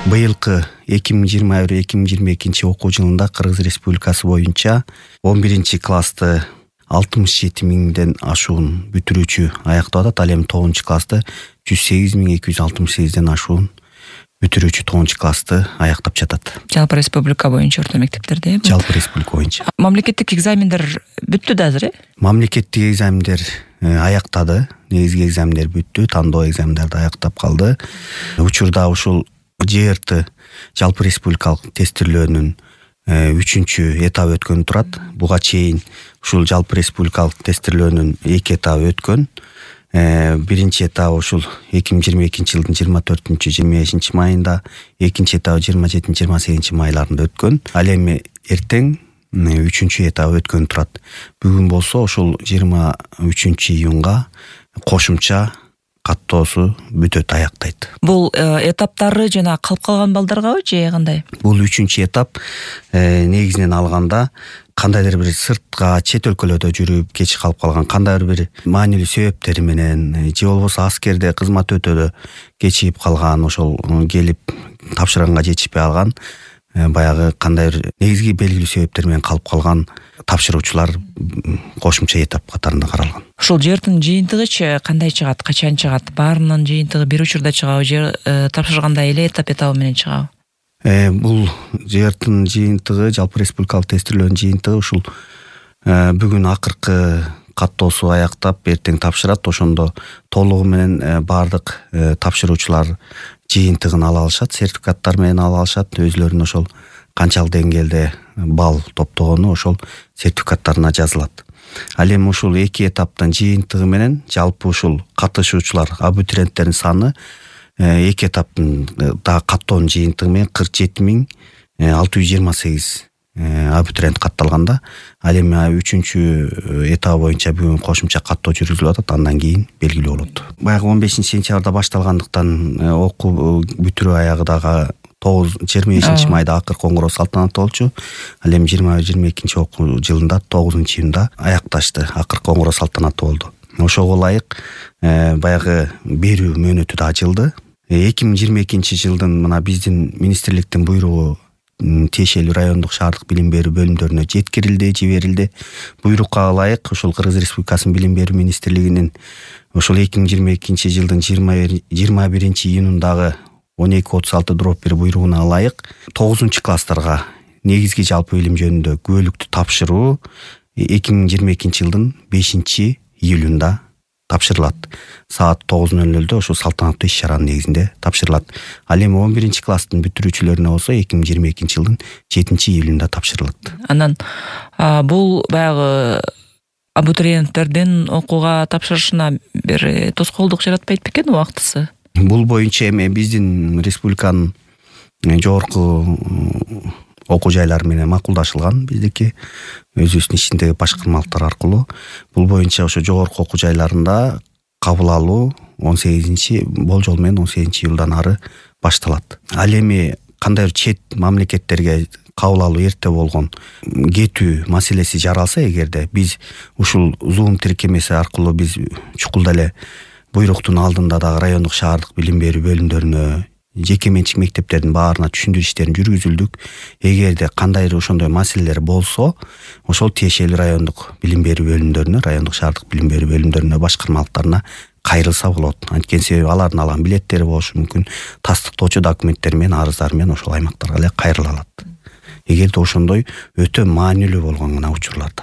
Быйылкы 2021-2022 окуу жылында Кыргыз Республикасы боюнча 11-классты 67 миңден ашуун бүтүрүүчү аяктап атат. Ал эми 9-классты 108.268ден ашуун бүтүрүүчү 9-классты аяктап жатат. Жалпы республика боюнча орто мектептерде. Жалпы республика боюнча. Мамлекеттик экзамендер бүттү да азыр, Мамлекеттик экзамендер аяктады. Негизги экзамендер бүттү, тандоо экзамендерди аяктап калды. Учурда ушул ЖРТ жалпы республикалык тестирлөөнүн 3-чү этабы өткөн турат. Буга чейин ушул жалпы республикалык тестирлөөнүн 2 этабы өткөн. Биринчи этабы ушул 2022 жылдын 24-25 майында, экинчи этабы 27-28 майларында өткөн. Ал эми эртең 3-чү этабы өткөн турат. Бүгүн болсо ушул 23 июнга кошумча каттоосу бүтөт, аяктайт. Бул этаптары жана калып калган балдаргабы же кандай? Бул 3-чү этап негизинен алганда кандайдыр бир сыртка, чет өлкөлөрдө жүрүп кеч калып калган, кандайдыр бир маанилүү себептери менен же болбосо аскерде кызмат өтөдө кечигип калган, ошол келип тапшырганга жетишпей алган, баягы кандайдыр негизги белгилүү себептер менен калып калган тапшыруучулар кошумча этап катарында каралган. Ушул ЖРТнын жыйынтыгычы кандай чыгат, качан чыгат? Баарынын жыйынтыгы бир учурда чыгабы же тапшырганда эле этабы менен чыгабы? Бул ЖРТнын жыйынтыгы, жалпы республикалык тестирлөөнүн жыйынтыгы ушул бүгүн акыркы каттоосу аяктап эртең тапшырат. Ошондо толугу менен баардык тапшыруучулар жыйынтыгын ала алышат, сертификаттар менен ала алышат. Өзүлөрүнүн ошол канчалык деңгээлде балл топтогону ошол сертификаттарына жазылат. Ал эми ушул 2 этаптын жыйынтыгы менен жалпы ушул катышуучулар, абитуриенттердин саны 2 этаптын да каттоонун жыйынтыгы менен 47.628 абитуриент катталганда. Ал эми 3-чү этап боюнча бүгүн кошумча каттоо жүргүзүлүп атат, андан кийин белгилүү болот. Баягы 15-сентябрда башталгандыктан окуу бүтүрүү аягы дагы 25 майда акыркы коңгуроо салтанаты болчу. Ал эми 21-22 окуу жылында 9-июнда аякташты, акыркы коңгуроо салтанаты болду. Ошого ылайык баягы берүү мөөнөтү да ачылды. 2022 жылдын мына биздин министрликтин буйругу тиешелүү райондук шаардык билим берүү бөлүмдөрүнө жеткирилди, жиберилди. Буйрукка ылайык ушул Кыргыз Республикасынын билим берүү министрлигинин ушул 2022 жылдын 21 июнундагы 1236/1 буйругуна ылайык 9-класстарга негизги жалпы билим жөнүндө күбөлүктү тапшыруу 2022 жылдын 5 июлунда тапшырылат. Саат 9:00 ошол салтанаттуу иш-чаранын негизинде тапшырылат. Ал эми 11-класстын бүтүрүүчүлөрүнө болсо 2022 жылдын 7 июлунда тапшырылат. Анан бул баягы абитуриенттердин окууга тапшырышына бир тоскоолдук жаратпайт бекен убактысы? Бул боюнча эми биздин республиканын жогорку окуу жайлары менен макулдашылган, биздики өзүбүздүн ичиндеги башкармалыктар аркылуу. Бул боюнча ошо жогорку окуу жайларында кабыл алуу 18 болжол менен 18 июлдан ары башталат. Ал эми кандайдыр чет мамлекеттерге кабыл алуу эрте болгон кетүү маселеси жаралса, эгерде биз ушул Zoom тиркемеси аркылуу биз чукулда эле буйруктун алдында дагы райондук шаардык билим берүү бөлүмдөрүнө, жеке менчик мектептердин баарына түшүндүрүү иштерин жүргүзүлдүк. Эгерде кандайдыр ошондой маселелер болсо, ошол тиешелүү райондук билим берүү бөлүмдөрүнө, райондук шаардык билим берүү бөлүмдөрүнө, башкармалыктарына кайрылса болот. Анткени себеби алардын алган билеттери болушу мүмкүн, тастыктоочу документтери менен, арыздары менен ошол аймактарга эле кайрыла алат. Эгерде ошондой өтө маанилүү болгон гана учурларда.